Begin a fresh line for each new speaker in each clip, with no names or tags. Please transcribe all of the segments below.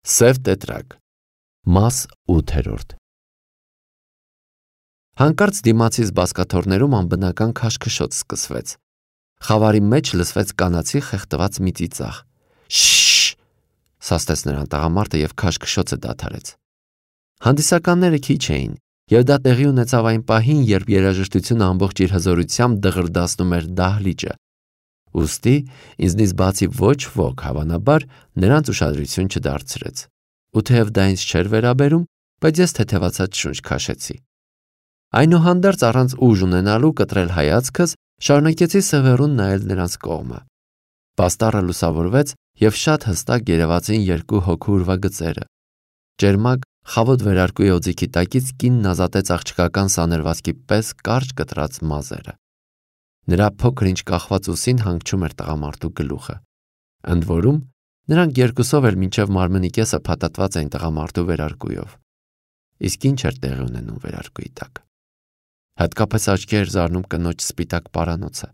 Սև տետրակ, մաս 8։ Հանկարծ դիմացից բազկաթոռներում անբնական քաշքշոտ սկսվեց։ Խավարի մեջ լսվեց կանացի խեղդված մի ծիծաղ։ Շշ! Սաստեց նրան տղամարդը և քաշքշոցը դադարեց։ Հանդիսականները քիչ էին, և դա տեղի ունեցավ այն պահին, երբ երաժշտությունը ամբողջ իր հզորությամբ դղրդացնում էր դահլիճը։ Ուստի ինձնից բացի ոչ ոք, հավանաբար, նրանց ուշադրություն չդարձրեց։ Ու թեև դա ինձ չէր վերաբերում, բայց ես թեթևացած շունչ քաշեցի։ Այնուհանդերձ առանց ուժ ունենալու կտրել հայացքս, շարունակեցի սևեռուն նայել նրանց կողմը։ Պաստառը լուսավորվեց, և շատ հստակ երևացին երկու հոգու ուրվագծերը։ Ճերմակ, խավոտ վերարկուի օձիքի տակից կինն ազատեց աղջկական սանրվածքի պես կարճ կտրած մազերը։ Նրա փոքր-ինչ կախված ուսին հանգչում էր տղամարդու գլուխը։ Ընդ որում, նրանք երկուսով էլ մինչև մարմնի կեսը փաթաթված էին տղամարդու վերարկուով։ Իսկ ինչ էր տեղի ունենում վերարկուի տակ։ Հատկապես աչքի էր զարնում կնոջ սպիտակ պարանոցը։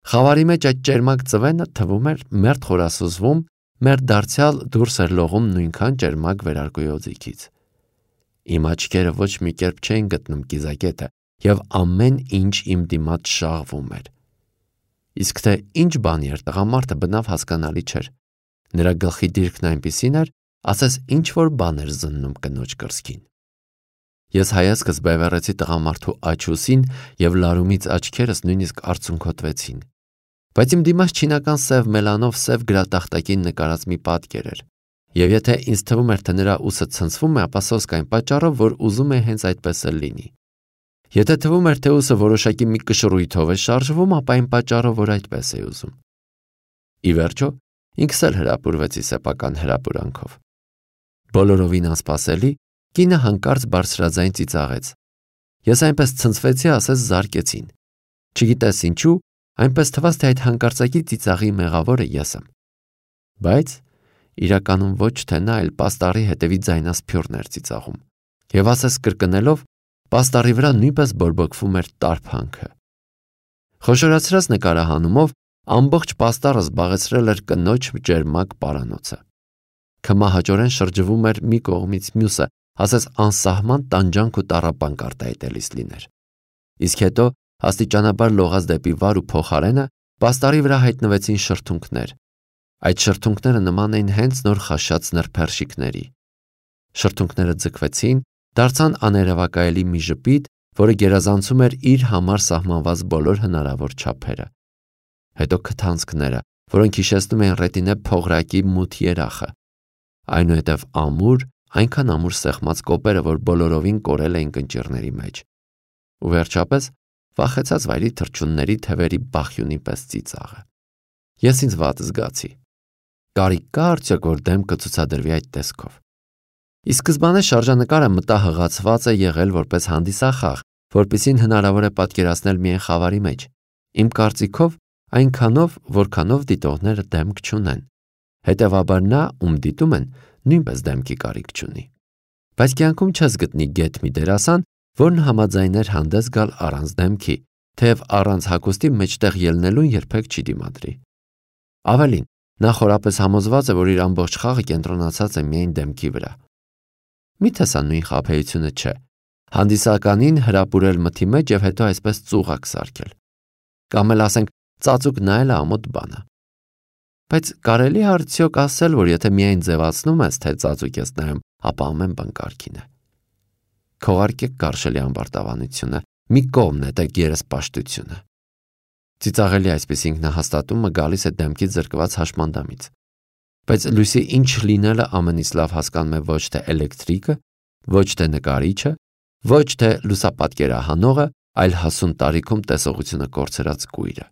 Խավարի մեջ այդ ճերմակ ծվենը թվում էր մերթ խորասուզվում, մերթ դարձյալ դուրս էր լողում նույնքան ճերմակ վերարկուի օձիքից։ Իմ աչքերը ոչ մի կերպ չէին գտնում կիզակետը, և ամեն ինչ իմ դիմաց շաղվում էր։ Իսկ թե ինչ բանի էր տղամարդը, բնավ հասկանալի չէր։ Նրա գլխի դիրքն այնպիսին էր, ասես ինչ-որ բան էր զննում կնոջ կրծքին։ Ես հայացքս բևեռեցի տղամարդու աջ-ուսին, և լարումից աչքերս նույնիսկ արցունքոտվեցին։ Բայց իմ դիմաց չինական սև մելանով սև գրատախտակին նկարած մի պատկեր էր։ Եվ եթե ինձ թվում էր, թե նրա ուսը ցնցվում է, ապա սոսկ այն պատճառով, որ ուզում է հենց այդպես էլ լինի։ Եթե թվում էր, թե ուսը որոշակի մի կշռույթով է շարժվում, ապա այն պատճառով, որ այդպես է ուզում։ Ի վերջո, ինքս էլ հրապուրվեցի սեփական հրապուրանքով։ Բոլորովին անսպասելի, կինը հանկարծ բարձրաձայն ծիծաղեց։ Ես այնպես ցնցվեցի, ասես զարկեցին։ Չգիտես ինչու, այնպես թվաց, թե այդ հանկարծակի ծիծաղի մեղավորը ես եմ։ Բայց իրականում ոչ թե նա, այլ պաստառի հետևի ձայնասփյուռն էր ծիծաղում։ Եվ ասես կրկնելով, պաստառի վրա նույնպես բորբոքվում էր տարփանքը։ Խոշորացրած նկարահանումով ամբողջ պաստառը զբաղեցրել էր կնոջ ճերմակ պարանոցը։ Քմահաճորեն շրջվում էր մի կողմից մյուսը, ասես անսահման տանջանք ու տառապանք արտահայտելիս լիներ։ Իսկ հետո, աստիճանաբար լողած դեպի վար ու փոխարենը, պաստառի վրա հայտնվեցին շրթունքներ։ Այդ շրթունքները նման էին հենց նոր խաշած նրբերշիկների։ Շրթունքները ձգվեցին, դարձան աներևակայելի մի ժպիտ, որը գերազանցում էր իր համար սահմանված բոլոր հնարավոր չափերը։ Հետո քթանցքները, որոնք հիշեցնում էին ռետինե փողրակի մութ երախը։ Այնուհետև ամուր, այնքան ամուր սեղմած կոպերը, որ բոլորովին կորել էին կնճիռների մեջ։ Ու վերջապես վախեցած վայրի թռչունների թևերի բախյունի պես ծիծաղը։ Ես ինձ վատ զգացի։ Կարիք կա արդյոք, որ դեմքը ցուցադրվի այդ տեսքով։ Ի սկզբանե շարժանկարը մտահղացված է եղել որպես հանդիսախաղ, որպեսզի հնարավոր է պատկերացնել միայն խավարի մեջ։ Իմ կարծիքով, այնքանով, որքանով դիտողները դեմք չունեն։ Հետևաբար նա, ում դիտում են, նույնպես դեմքի կարիք չունի։ Բայց կյանքում չես գտնի գեթ մի դերասան, որն համաձայներ հանդես գալ առանց դեմքի, թեև առանց հագուստի մեջտեղ ելնելուն երբեք չի դիմադրի։ Ավելին, նա խորապես համոզված է, որ իր ամբողջ խաղը կենտրոնացած է միայն դեմքի վրա։ Միթե սա նույն խաբեությունը չէ։ Հանդիսականին հրապուրել մթի մեջ և հետո այսպես ծուղակ սարքել։ Կամ էլ ասենք ծածուկ նայելը ամոթ բան է։ Բայց կարելի է արդյոք ասել, որ եթե միայն ձևացնում ես, թե ծածուկ ես նայում, ապա ամեն բան կարգին է։ Քողարկեք կարշելի ամբարտավանությունը, մի կողմ նետեք երեսպաշտությունը։ Ծիծաղելի այսպես ինքնահաստատումը գալիս է դեմքից զրկված հաշմանդամից։ Բայց լույսի ինչ լինելը ամենից լավ հասկանում է ոչ թե էլեկտրիկը, ոչ թե նկարիչը, ոչ թե լուսապատկերահանողը, այլ հասուն տարիքում տեսողությունը կորցրած կույրը։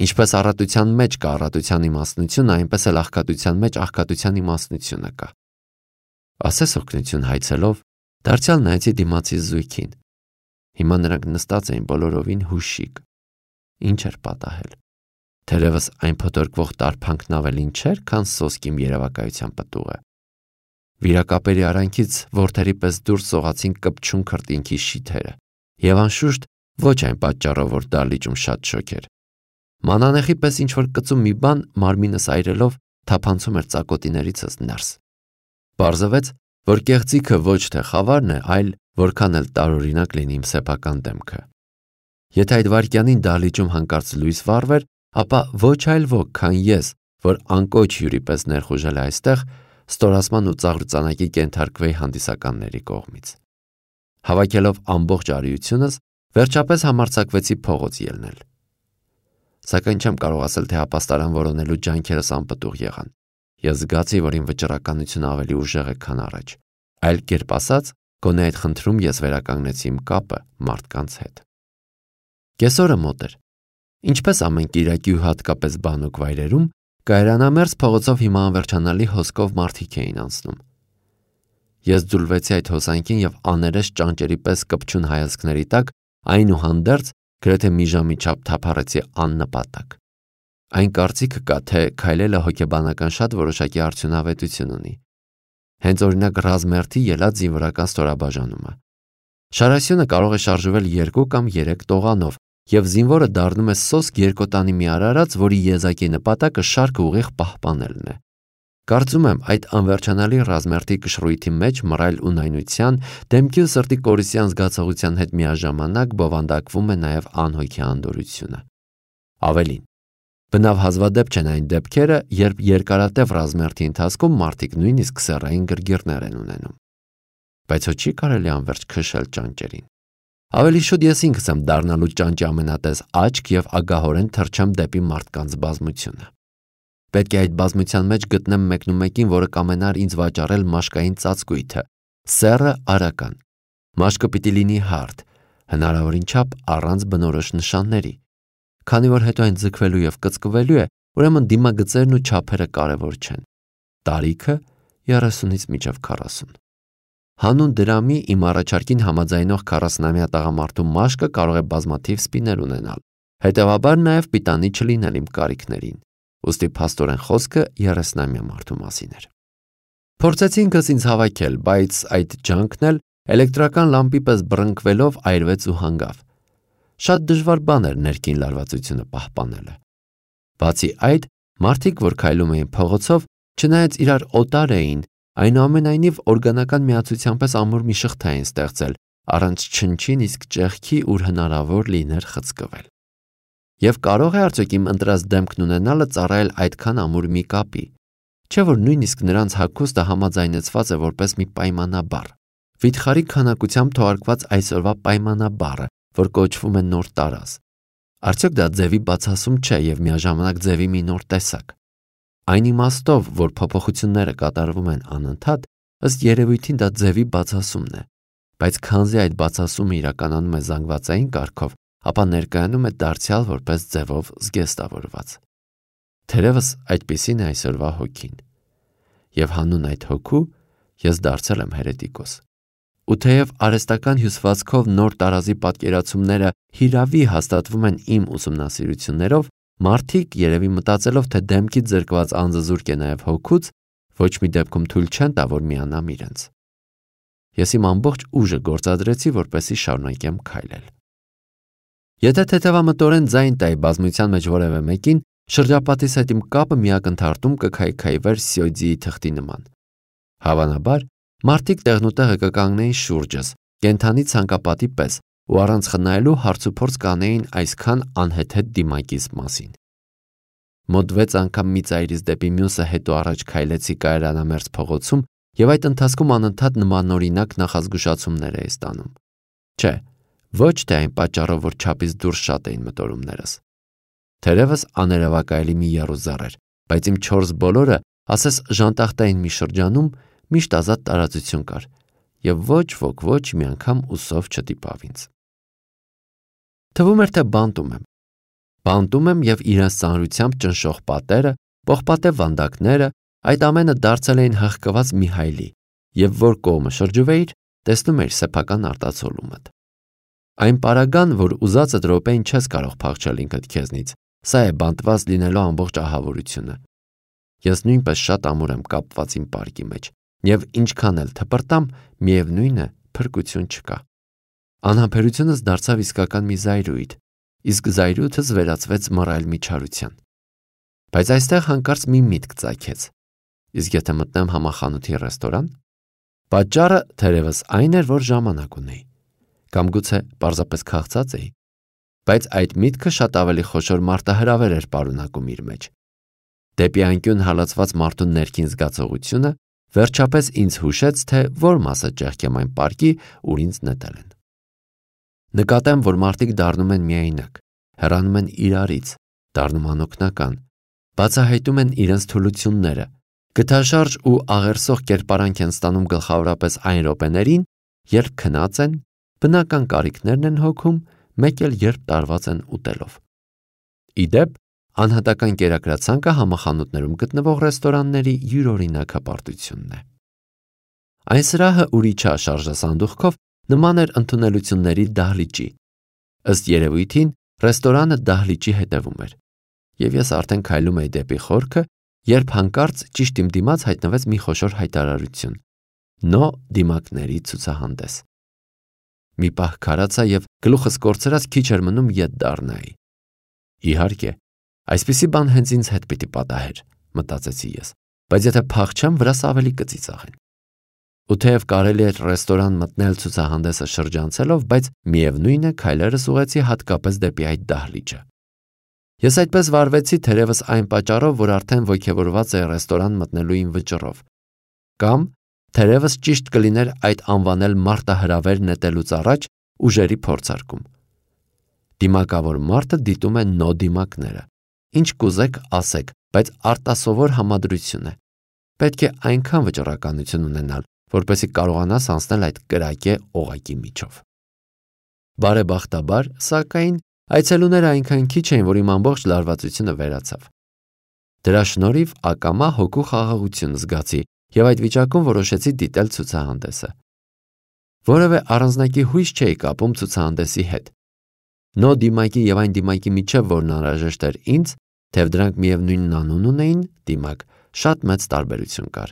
Ինչպես առատության մեջ կա առատության իմաստնությունը, այնպես էլ աղքատության մեջ աղքատության իմաստնությունը կա։ Ասես օգնություն հայցելով, դարձյալ նայեցի դիմացի զույգին։ Հիմա նրանք նստած էին բոլորովին հուշիկ։ Ինչ էր պատահել։ Թերևս այն փոթորկվող տարփանքն ավելին չէր, քան սոսկ իմ երևակայության պտուղը։ Վիրակապերի արանքից որդերի պես դուրս սողացին կպչուն քրտինքի շիթերը, և անշուշտ ոչ այն պատճառով, որ դահլիճում շատ շոգ էր։ Մանանեխի պես ինչ-որ կծու մի բան մարմինս այրելով թափանցում էր ծակոտիներիցս ներս։ Պարզվեց, որ կեղծիքը ոչ թե խավարն է, այլ որքան էլ տարօրինակ լինի իմ սեփական դեմքը։ Եթե այդ վայրկյանին դահլիճում հանկարծ լույս վառվեր, ապա ոչ այլ ոք, քան ես, որ անկոչ հյուրի պես ներխուժել է այստեղ, ստորացման ու ծաղրծանակի կենթարկվեի հանդիսականների կողմից։ Հավաքելով ամբողջ արիությունս, վերջապես համարձակվեցի փողոց ելնել։ Սակայն չեմ կարող ասել, թե ապաստարան որոնելու ջանքերս անպտուղ եղան։ Ես զգացի, որ իմ վճռականությունը ավելի ուժեղ է, քան առաջ։ Այլ կերպ ասած, գոնե այդ խնդրում ես վերականգնեցի իմ կապը մարդկանց հետ։ Կեսօրը մոտ էր։ Ինչպես ամեն կիրակի ու հատկապես բանուկ վայրերում, կայարանամերձ փողոցով հիմա անվերջանալի հոսքով մարդիկ էին անցնում։ Ես ձուլվեցի այդ հոսանքին եւ աներես ճանճերի պես կպչուն հայացքների տակ այնուհանդերձ գրեթե մի ժամի չափ թափառեցի աննպատակ։ Այն կարծիքը կա, թե քայլելը հոգեբանական շատ որոշակի արդյունավետություն ունի։ Հենց օրինակ ռազմերթի ելած զինվորական ստորաբաժանումը։ Շարասյունը կարող է շարժվել 2 կամ 3 տողանով, եւ զինվորը դառնում է սոսկ երկոտանի մի արարած, որի եզակի նպատակը շարքը ուղիղ պահպանելն է։ Կարծում եմ, այդ անվերջանալի ռազմերթի կշռույթի մեջ մռայլ ունայնության, դեմքի ու սրտի կորիսյան զգացողության հետ միաժամանակ բովանդակվում է նաև անհոգի անդորությունը։ Ավելին, բնավ հազվադեպ չեն այն դեպքերը, երբ երկարատև ռազմերթի ընթացքում մարդիկ նույնիսկ սեռային գրգիռներ են ունենում։ Բայց ոչ չի կարելի անverջ քշել ճանճերին։ Ավելի շուտ ես ինքս եմ դառնալու ճանճի ամենատես աչք եւ ագահորեն թռչեմ դեպի մարդկանց բազմությունը։ Պետք է այդ բազմության մեջ գտնեմ մեկնումեկին, որը կամենար ինձ վաճառել մաշկային ծածկույթը, սեռը արական։ Մաշկը պիտի լինի հարթ, հնարավորին չափ առանց բնորոշ նշանների։ Քանի որ հետո այն ձգվելու եւ կծկվելու է, ուրեմն դիմագծերն ու չափերը կարևոր չեն։ Տարիքը 30-ից մինչև 40։ Հանուն դրամի իմ առաջարկին համաձայնող 40-ամյա տղամարդու մաշկը կարող է բազմաթիվ սպիներ ունենալ, հետևաբար նաև պիտանի չլինել իմ կարիքներին, ուստի փաստորեն խոսքը 30-ամյա մարդու մասին էր։ Փորձեցի ինքս ինձ հավաքել, բայց այդ ջանքն էլ էլեկտրական լամպի պես բռնկվելով այրվեց ու հանգավ։ Շատ դժվար բան էր ներքին լարվածությունը պահպանելը։ Բացի այդ, մարդիկ, որ քայլում էին փողոցով, չնայած իրար օտար էին, այնուամենայնիվ օրգանական միացության պես ամուր մի շղթա էին ստեղծել, առանց չնչին իսկ ճեղքի, ուր հնարավոր լիներ խցկվել։ Եվ կարող է արդյոք իմ ընտրած դեմքն ունենալը ծառայել այդքան ամուր մի կապի, չէ՞ որ նույնիսկ նրանց հագուստը համաձայնեցված է որպես մի պայմանաբար, վիթխարի քանակությամբ թողարկված այսօրվա պայմանաբառը, որ կոչվում է նոր տարազ։ Արդյոք դա ձևի բացասում չէ եւ միաժամանակ ձևի մի նոր տեսակ։ Այն իմաստով, որ փոփոխությունները կատարվում են անընդհատ, ըստ երևույթին դա ձևի բացասումն է, բայց քանզի այդ բացասումը իրականանում է զանգվածային կարգով, ապա ներկայանում է դարձյալ որպես ձևով զգեստավորված։ Թերևս այդպիսին է այսօրվա հոգին։ Եվ հանուն այդ հոգու ես դարձել եմ հերետիկոս։ Ու թեև արհեստական հյուսվածքով նոր տարազի պատկերացումները հիրավի հաստատվում են իմ ուսումնասիրություններով, մարդիկ երևի մտածելով, թե դեմքից զրկված անձը զուրկ է նաև հոգուց, ոչ մի դեպքում թույլ չեն տա, որ միանամ իրենց։ Ես իմ ամբողջ ուժը գործադրեցի, որպեսզի շարունակեմ քայլել։ Եթե թեթևամտորեն ձայն տայի բազմության մեջ որևէ մեկին, շրջապատիս հետ իմ կապը մի ակնթարթում կքայքայվեր սյոյձիի թղթի նման։ Հավանաբար, մարդիկ տեղնուտեղը կկանգնեին շուրջս, կենթանի ցանկապատի պես, ու առանց խնայելու հարցուփորձ կանեին այսքան անհեթեթ դիմակից մասին։ Մոտ 6 անգամ մի ծայրից դեպի մյուսը հետո առաջ քայլեցի կայարանամերձ փողոցում եւ այդ ընթացքում անընդհատ նմանօրինակ նախազգուշացումներ էի ստանում։ Չէ, ոչ թե այն պատճառով, որ չափից դուրս շատ էին մտորումներս։ Թերևս աներևակայելի մի եռուզառ էր, բայց իմ 4 բոլորը, ասես ժանտախտային մի շրջանում, միշտ ազատ տարածություն կար, եւ ոչ ոք ոչ մի անգամ ուսով չդիպավ ինձ։ Թվում էր, թե բանտում եմ եւ իրենց ծանրությամբ ճնշող պատերը, պողպատե վանդակները, այդ ամենը դարձել էին հղկված մի հայլի, եւ որ կողմը շրջվեիր, տեսնում էիր սեփական արտացոլումդ։ Այն պարագան, որ ուզածդ րոպեին չես կարող փախչել ինքդ քեզնից, սա է բանտված լինելու ամբողջ ահավորությունը։ Ես նույնպես շատ ամուր եմ կապված իմ պարկի մեջ, եւ ինչքան էլ թպրտամ, միևնույն է, փրկություն չկա։ Անհամբերությունս դարձավ իսկական մի զայրույթ, իսկ զայրույթս վերածվեց մռայլ միջարության։ Բայց այստեղ հանկարծ մի միտք ծագեց։ իսկ եթե մտնեմ համախանութի ռեստորան, պատճառը թերևս այն էր, որ ժամանակ ունեի, կամ գուցե պարզապես քաղցած էի, բայց այդ միտքը շատ ավելի խոշոր մարտահրավեր էր պարունակում իր մեջ։ Դեպի անկյուն հալածված մարդու ներքին զգացողությունը վերջապես ինձ հուշեց, թե որ մասը ճեղքեմ այն պարկի, ուր ինձ նետել են։ Նկատեմ, որ մարդիկ դառնում են միայնակ, հեռանում են իրարից, դառնում անօգնական, բացահայտում են իրենց թուլությունները, գթաշարժ ու աղերսող կերպարանք են ստանում գլխավորապես այն րոպեներին, երբ քնած են, բնական կարիքներն են հոգում, մեկ էլ երբ տարված են ուտելով։ Ի դեպ, անհատական կերակրացանկը համախանութներում գտնվող ռեստորանների յուրօրինակ հպարտությունն է։ Այն սրահը ուրիչա շարժասանդուղքով նման էր ընդունելությունների դահլիճի։ Ըստ երևույթին, ռեստորանը դահլիճի հետևում էր, և ես արդեն քայլում էի դեպի խորքը, երբ հանկարծ ճիշտ իմ դիմաց հայտնվեց մի խոշոր հայտարարություն՝ «Նո դիմակների ցուցահանդես»։ Մի պահ քարացա և գլուխս կորցրած քիչ էր մնում ետ դառնայի։ Իհարկե, այսպիսի բան հենց ինձ հետ պիտի պատահեր, մտածեցի ես, բայց եթե փախչեմ, վրաս ավելի կծիծաղեն։ Ու թեև կարելի էր ռեստորան մտնել ցուցահանդեսը շրջանցելով, բայց միևնույն է քայլերս ուղղեցի հատկապես դեպի այդ դահլիճը։ Ես այդպես վարվեցի թերևս այն պատճառով, որ արդեն ոգևորված էի ռեստորան մտնելու իմ վճռով, կամ թերևս ճիշտ կլիներ այդ անվանել մարտահրավեր նետելուց առաջ ուժերի փորձարկում։ Դիմակավոր մարդը դիտում է նո դիմակները։ Ինչ կուզեք ասեք, բայց արտասովոր համադրություն է։ Պետք է այնքան վճռականություն ունենալ, որպեսզի կարողանաս անցնել այդ կրակե օղակի միջով։ Բարեբախտաբար, սակայն, այցելուները այնքան քիչ էին, որ իմ ամբողջ լարվածությունը վերացավ։ Դրա շնորհիվ ակամա հոգու խաղաղություն զգացի և այդ վիճակում որոշեցի դիտել ցուցահանդեսը։ Որևէ առանձնակի հույս չէի կապում ցուցահանդեսի հետ։ Նո դիմակի և այն դիմակի միջև, որն անհրաժեշտ էր ինձ, թեև դրանք միևնույն անուն ունեին, դիմակ, շատ մեծ տարբերություն կար։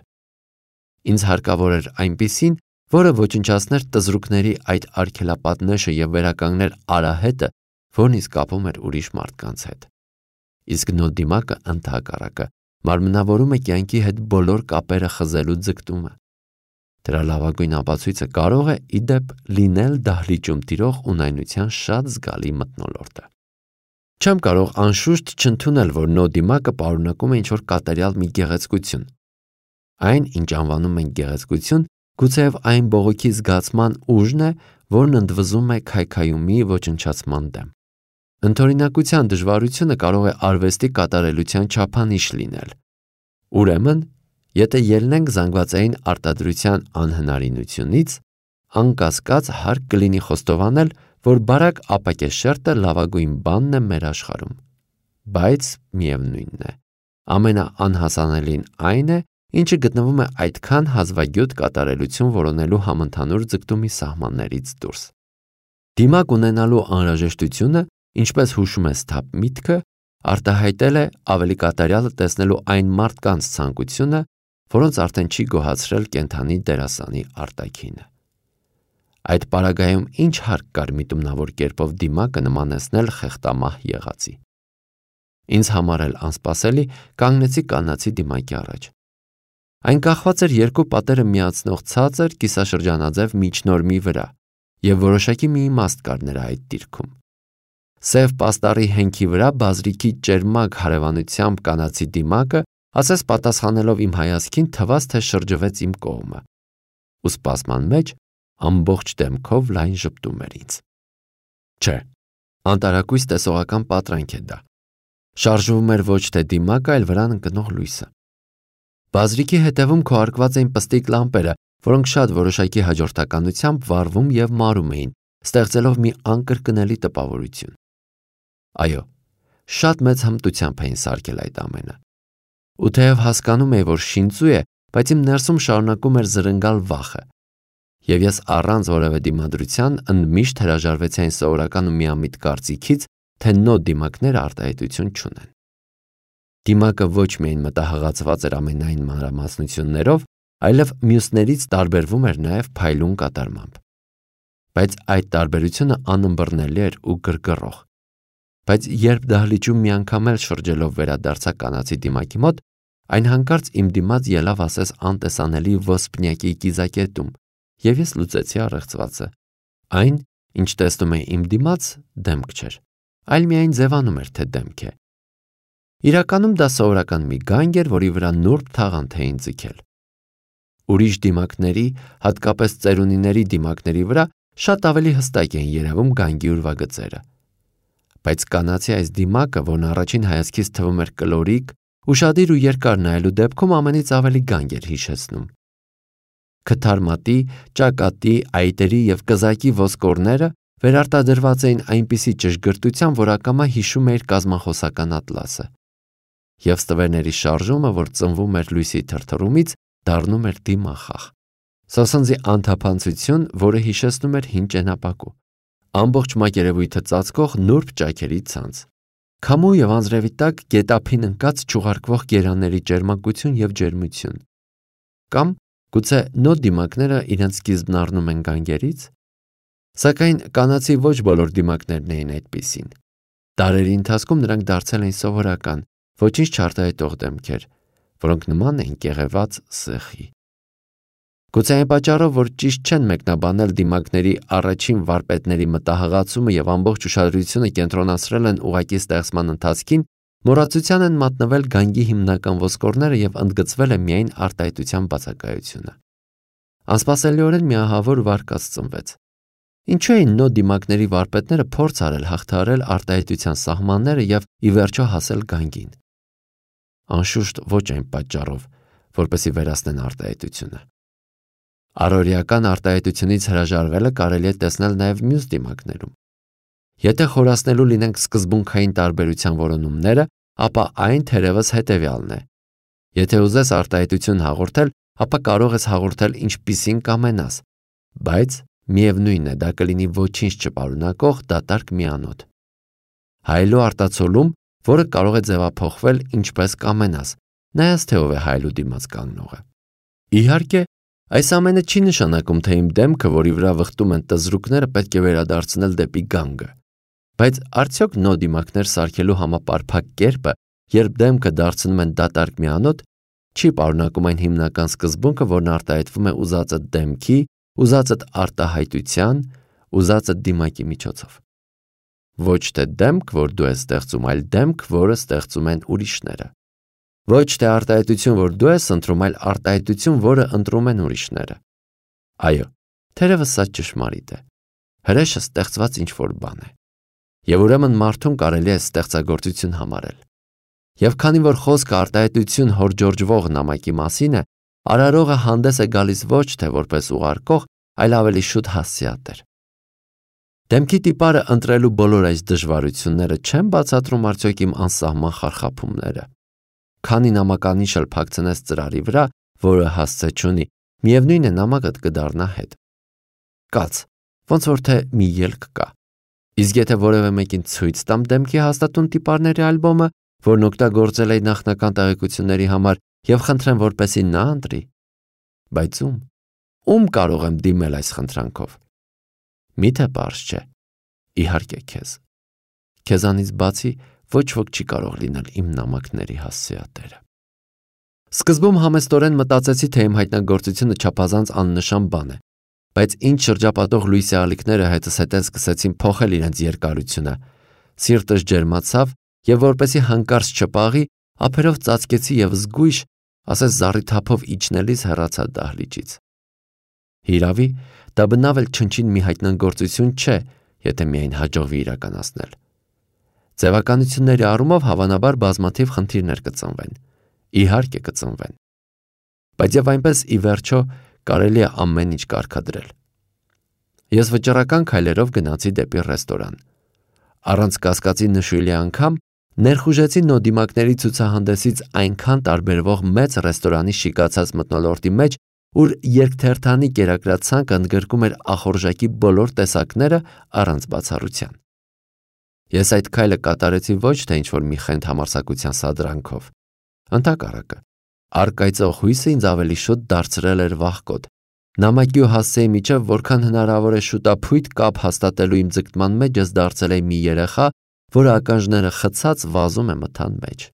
Ինձ հարկավոր էր այնպիսին, որը ոչնչացներ տզրուկների այդ արգելապատնեշը և վերականգներ արահետը, որն ինձ կապում էր ուրիշ մարդկանց հետ։ Իսկ նո դիմակը ընդհակառակը մարմնավորում է կյանքի հետ բոլոր կապերը խզելու ձգտումը։ Դրա լավագույն ապացույցը կարող է, ի դեպ, լինել դահլիճում տիրող ունայնության շատ զգալի մթնոլորտը։ Չեմ կարող անշուշտ չընդունել, որ նո դիմակը պարունակում է ինչ-որ կատարյալ մի գեղեցկություն։ Այն, ինչ անվանում են գեղեցկություն, գուցեև այն բողոքի զգացման ուժն է, որն ընդվզում է քայքայումի ոչնչացման դեմ։ Ընդօրինակության դժվարությունը կարող է արվեստի կատարելության չափանիշ լինել։ Ուրեմն, եթե ելնենք զանգվածային արտադրության անհնարինությունից, անկասկած հարկ կլինի խոստովանել, որ բարակ ապակեշերտը լավագույն բանն է մեր աշխարհում։ Բայց միևնույնն է, ամենաանհասանելին այն է, ինչը գտնվում է այդքան հազվագյուտ կատարելություն որոնելու համընդհանուր ձգտումի սահմաններից դուրս։ Դիմակ ունենալու անհրաժեշտությունը, ինչպես հուշում է սթափ միտքը, արտահայտել է ավելի կատարյալը տեսնելու այն մարդկանց ցանկությունը, որոնց արդեն չի գոհացրել կենդանի դերասանի արտաքինը։ Այդ պարագայում ինչ հարկ կար միտումնավոր կերպով դիմակը նմանեցնել խեղտամահ եղածի։ Ինձ համար էլ անսպասելի կանգնեցի կանացի դիմակի առաջ։ Այն կախված էր երկու պատերը միացնող ցածր կիսաշրջանաձև միջնորմի վրա, և որոշակի մի իմաստ կար նրա այդ դիրքում։ Սև պաստառի հենքի վրա բազրիքի ճերմակ հարևանությամբ կանացի դիմակը, ասես պատասխանելով իմ հայացքին, թվաց, թե շրջվեց իմ կողմը, ու սպասման մեջ ամբողջ դեմքով լայն ժպտում էր ինձ։ Չէ, անտարակույս տեսողական պատրանք է դա։ Շարժվում էր ոչ թե դիմակը, այլ վրան ընկնող լույսը։ Բազրիքի հետևում քոարկված էին պստիկ լամպերը, որոնք շատ որոշակի հաջորդականությամբ վառվում և մարում էին, ստեղծելով մի անկրկնելի տպավորություն։ Այո, շատ մեծ հմտությամբ էին սարքել այդ ամենը։ Ու թեև հասկանում էի, որ շինծու է, բայց իմ ներսում շարունակում էր զրնգալ վախը, և ես առանց որևէ դիմադրության ընդմիշտ հրաժարվեցի այն սովորական ու միամիտ կարծիքից, թե նո դիմակները արտահայտություն չունեն։ Դիմակը ոչ միայն մտահղացված էր ամենայն մանրամասնություններով, այլև մյուսներից տարբերվում էր նաև փայլուն կատարմամբ։ Բայց այդ տարբերությունը անըմբռնելի էր ու գրգռող։ Բայց երբ դահլիճում մի անգամ էլ շրջելով վերադարձա կանացի դիմակի մոտ, Այն հանկարծ իմ դիմաց ելավ ասես անտեսանելի ոսպնյակի կիզակետում, եւ ես լուծեցի առեղծվածը։ Այն, ինչ տեսնում էի իմ դիմաց, դեմք չէր, այլ միայն ձևանում էր, թե դեմք է։ Իրականում դա սովորական մի գանգ էր, որի վրա նուրբ թաղանթ էին ձգել։ Ուրիշ դիմակների, հատկապես ծերունիների դիմակների վրա շատ ավելի հստակ էին երևում գանգի ուրվագծերը։ Բայց կանացի այս դիմակը, որն առաջին հայացքից թվում էր կլորիկ, ուշադիր ու երկար նայելու դեպքում ամենից ավելի գանգ էր հիշեցնում։ Քթարմատի, ճակատի, այտերի և կզակի ոսկորները վերարտադրված էին այնպիսի ճշգրտությամբ, որ ակամա հիշում էիր կազմախոսական ատլասը։ Եվ ստվերների շարժումը, որ ծնվում էր լույսի թրթռումից, դառնում էր դիմախաղ։ Սոսնձի անթափանցություն, որը հիշեցնում էր հին ճենապակու։ Ամբողջ մակերևույթը ծածկող նուրբ ճաքերի ցանց։ Քամու և անձրևի տակ գետափին ընկած չուղարկվող գերանների ճերմակություն և ջերմություն։ Կամ գուցե նոր դիմակները իրենց սկիզբն առնում են գանգերից։ Սակայն կանացի ոչ բոլոր դիմակներն էին այդպիսին։ Դարերի ընթացքում նրանք դարձել էին սովորական, ոչինչ չարտահայտող դեմքեր, որոնք նման էին կեղևած սեխի։ Գուցե այն պատճառով, որ ճիշտ չեն մեկնաբանել դիմակների առաջին վարպետների մտահղացումը և ամբողջ ուշադրությունը կենտրոնացրել են ուղղակի ստեղծման ընթացքին, մոռացության են մատնվել գանգի հիմնական ոսկորները և ընդգծվել է միայն արտահայտության բացակայությունը։ Անսպասելիորեն մի ահավոր վարկած ծնվեց։ Ինչու էին նոր դիմակների վարպետները փորձ արել հաղթահարել արտահայտության սահմանները և ի վերջո հասել գանգին։ Անշուշտ ոչ այն պատճառով, որպեսզի վերացնեն արտահայտությունը։ Առօրեական արտահայտությունից հրաժարվելը կարելի է տեսնել նաև մյուս դիմակներում։ Եթե խորացնելու լինենք սկզբունքային տարբերության որոնումները, ապա այն թերևս հետևյալն է։ Եթե ուզես արտահայտություն հաղորդել, ապա կարող ես հաղորդել ինչպիսին կամենաս, բայց միևնույն է, դա կլինի ոչինչ չպարունակող դատարկ միանոթ։ Հայելու արտացոլում, որը կարող է ձևափոխվել ինչպես կամենաս, նայած թե ով է հայելու դիմաց կանգնողը։ Իհարկե, այս ամենը չի նշանակում, թե իմ դեմքը, որի վրա վխտում են տզրուկները, պետք է վերադարձնել դեպի գանգը։ Բայց արդյոք նոր դիմակներ սարքելու համապարփակ կերպը, երբ դեմքը դարձնում են դատարկ միանոթ, չի պարունակում այն հիմնական սկզբունքը, որն արտահայտվում է ուզածդ դեմքի, ուզածդ արտահայտության, ուզածդ դիմակի միջոցով։ Ոչ թե դեմք, որ դու ես ստեղծում, այլ դեմք, որը ստեղծում են ուրիշները։ Ոչ թե արտահայտություն, որ դու ես ընտրում, այլ արտահայտություն, որը ընտրում են ուրիշները։ Այո, թերևս սա ճշմարիտ է։ Հրեշը ստեղծված ինչ-որ բան է։ Եվ ուրեմն մարդուն կարելի է ստեղծագործություն համարել։ Եվ քանի որ խոսքը արտահայտություն հորջորջվող նամակի մասին է, արարողը հանդես է գալիս ոչ թե որպես ուղարկող, այլ ավելի շուտ հասցեատեր։ Դեմքի տիպարը ընտրելու բոլոր այս դժվարությունները չեն բացատրում արդյոք իմ անսահման խարխափումները։ Քանի նամականիշ էլ փակցնես ծրարի վրա, որը հասցե չունի, միևնույն է նամակդ կդառնա հետ։ Կաց, ոնց որ թե մի ելք կա։ Իսկ եթե որևէ մեկին ցույց տամ դեմքի հաստատուն տիպարների ալբոմը, որն օգտագործել էի նախնական տեղեկությունների համար, եւ խնդրեմ, որպեսզի նա ընտրի, բայց ում կարող եմ դիմել այս խնդրանքով։ Միթե պարզ չէ։ Իհարկե քեզ։ Քեզանից բացի ոչ ոք չի կարող լինել իմ նամակների հասցեատերը։ Սկզբում համեստորեն մտածեցի, թե իմ հայտնագործությունը չափազանց աննշան բան է, բայց ինչ շրջապատող լույսի ալիքները հետս հետեն սկսեցին փոխել իրենց երկարությունը, սիրտս ջերմացավ եւ որպեսի հանկարծ չպաղի, ափերով ծածկեցի եւ զգույշ, ասես զառիթափով իջնելիս հեռացա դահլիճից։ Հիրավի, դա բնավ էլ չնչին մի հայտնագործություն չէ, եթե միայն հաջողվի իրականացնել։ Ձևականությունների առումով հավանաբար բազմաթիվ խնդիրներ կծնվեն, իհարկե կծնվեն։ Բայց եւ այնպես ի վերջո կարելի է ամեն ինչ կարգադրել։ Ես վճռական քայլերով գնացի դեպի ռեստորան։ Առանց կասկածի նշույլի անգամ ներխուժեցի նոդիմակների ցուցահանդեսից այնքան տարբերվող մեծ ռեստորանի շիկացած մթնոլորտի մեջ, ուր երկթերթանի կերակրացանկը ընդգրկում էր ախորժակի բոլոր տեսակները առանց բացառության։ Ես այդ քայլը կատարեցի ոչ թե ինչ-որ մի խենթ համարձակության սադրանքով։ Ընդհակառակը, առկայծող հույսը ինձ ավելի շուտ դարձրել էր վախկոտ։ Նամակի ու հասցեի միջև որքան հնարավոր է շուտափույթ կապ հաստատելու իմ ձգտման մեջ ես դարձել էի մի երեխա, որը ականջները խցած վազում է մթան մեջ։